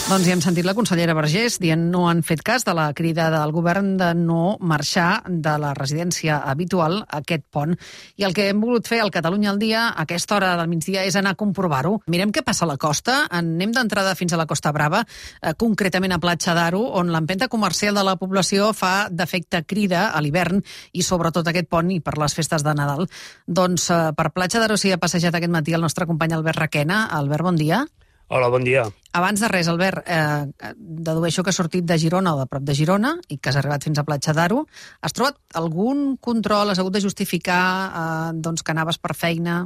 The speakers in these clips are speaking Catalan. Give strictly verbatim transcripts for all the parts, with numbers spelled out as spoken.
Doncs ja hem sentit la consellera Vergés dient no han fet cas de la crida del govern de no marxar de la residència habitual a aquest pont. I el que hem volgut fer al Catalunya al dia a aquesta hora del migdia és anar a comprovar-ho. Mirem què passa a la costa. Anem d'entrada fins a la Costa Brava, eh, concretament a Platja d'Aro, on l'empenta comercial de la població fa d'efecte crida a l'hivern i sobretot aquest pont i per les festes de Nadal. Doncs eh, per Platja d'Aro s'hi ha passejat aquest matí el nostre company Albert Requena. Albert, bon dia. Hola, bon dia. Abans de res, Albert, eh, dedueixo que has sortit de Girona o de prop de Girona i que has arribat fins a Platja d'Aro. Has trobat algun control? Has hagut de justificar eh, doncs, que anaves per feina?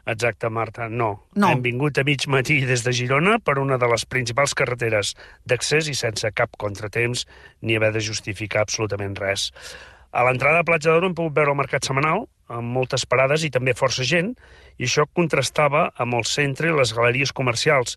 Exacte, Marta, no. no. Hem vingut a mig matí des de Girona per una de les principals carreteres d'accés i sense cap contratemps ni haver de justificar absolutament res. A l'entrada a Platja d'Aro hem pogut veure el mercat setmanal, amb moltes parades i també força gent, i això contrastava amb el centre i les galeries comercials,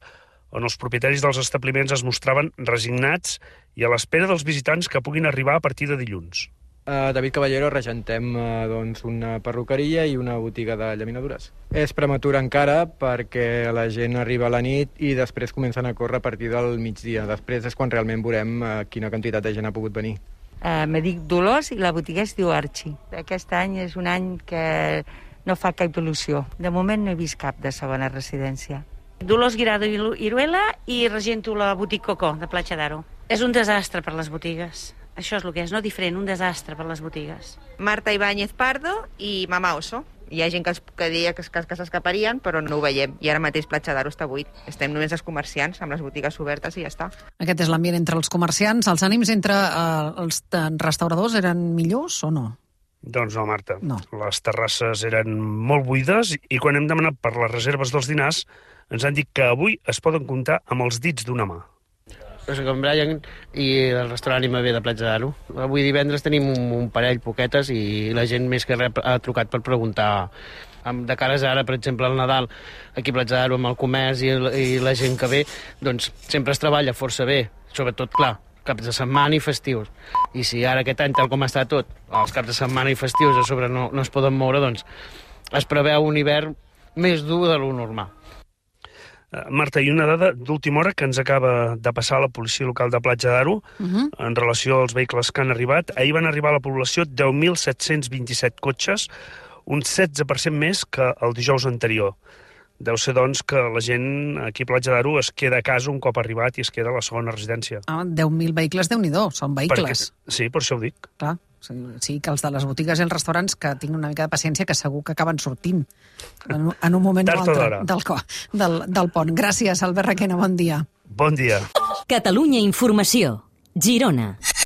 on els propietaris dels establiments es mostraven resignats i a l'espera dels visitants que puguin arribar a partir de dilluns. Uh, David Caballero, regentem uh, doncs una perruqueria i una botiga de llaminadures. És prematur encara perquè la gent arriba a la nit i després comencen a córrer a partir del migdia. Després és quan realment veurem uh, quina quantitat de gent ha pogut venir. Uh, me dic Dolors i la botiga es diu Archie. Aquest any és un any que no fa cap il·lusió. De moment no he vist cap de segona residència. Dolors Guirado Iruela i regento la botiga Cocó de Platja d'Aro. És un desastre per les botigues. Això és el que és, no diferent, un desastre per les botigues. Marta Ibáñez Pardo i Mama Oso. Hi ha gent que, es, que deia que, que, que s'escaparien, però no ho veiem. I ara mateix Platja d'Aro està buit. Estem només els comerciants, amb les botigues obertes i ja està. Aquest és l'ambient entre els comerciants. Els ànims entre eh, els restauradors eren millors o no? Doncs no, Marta. No. Les terrasses eren molt buides i quan hem demanat per les reserves dels dinars ens han dit que avui es poden comptar amb els dits d'una mà. Soc en Brian i el restaurant I M B de Platja d'Aro. Avui divendres tenim un, un parell poquetes i la gent més que res ha trucat per preguntar. De cares ara, per exemple, al Nadal, aquí a Platja d'Aro amb el comerç i, i la gent que ve, doncs sempre es treballa força bé, sobretot, clar, caps de setmana i festius. I si ara aquest any, tal com està tot, els caps de setmana i festius a sobre no, no es poden moure, doncs es preveu un hivern més dur de lo normal. Marta, i una dada d'última hora que ens acaba de passar a la policia local de Platja d'Aro uh-huh. en relació als vehicles que han arribat. Ahir van arribar a la població deu mil set-cents vint-i-set cotxes, un setze per cent més que el dijous anterior. Deu ser, doncs, que la gent aquí a Platja d'Aro es queda a casa un cop arribat i es queda a la segona residència. Ah, deu mil vehicles, Déu-n'hi-do, són vehicles. Perquè, sí, per això ho dic. Clar, sí, sí, que els de les botigues i els restaurants que tinguin una mica de paciència que segur que acaben sortint en, en un moment o altre del, del, del pont. Gràcies, Albert Requena, bon dia. Bon dia. Catalunya Informació, Girona.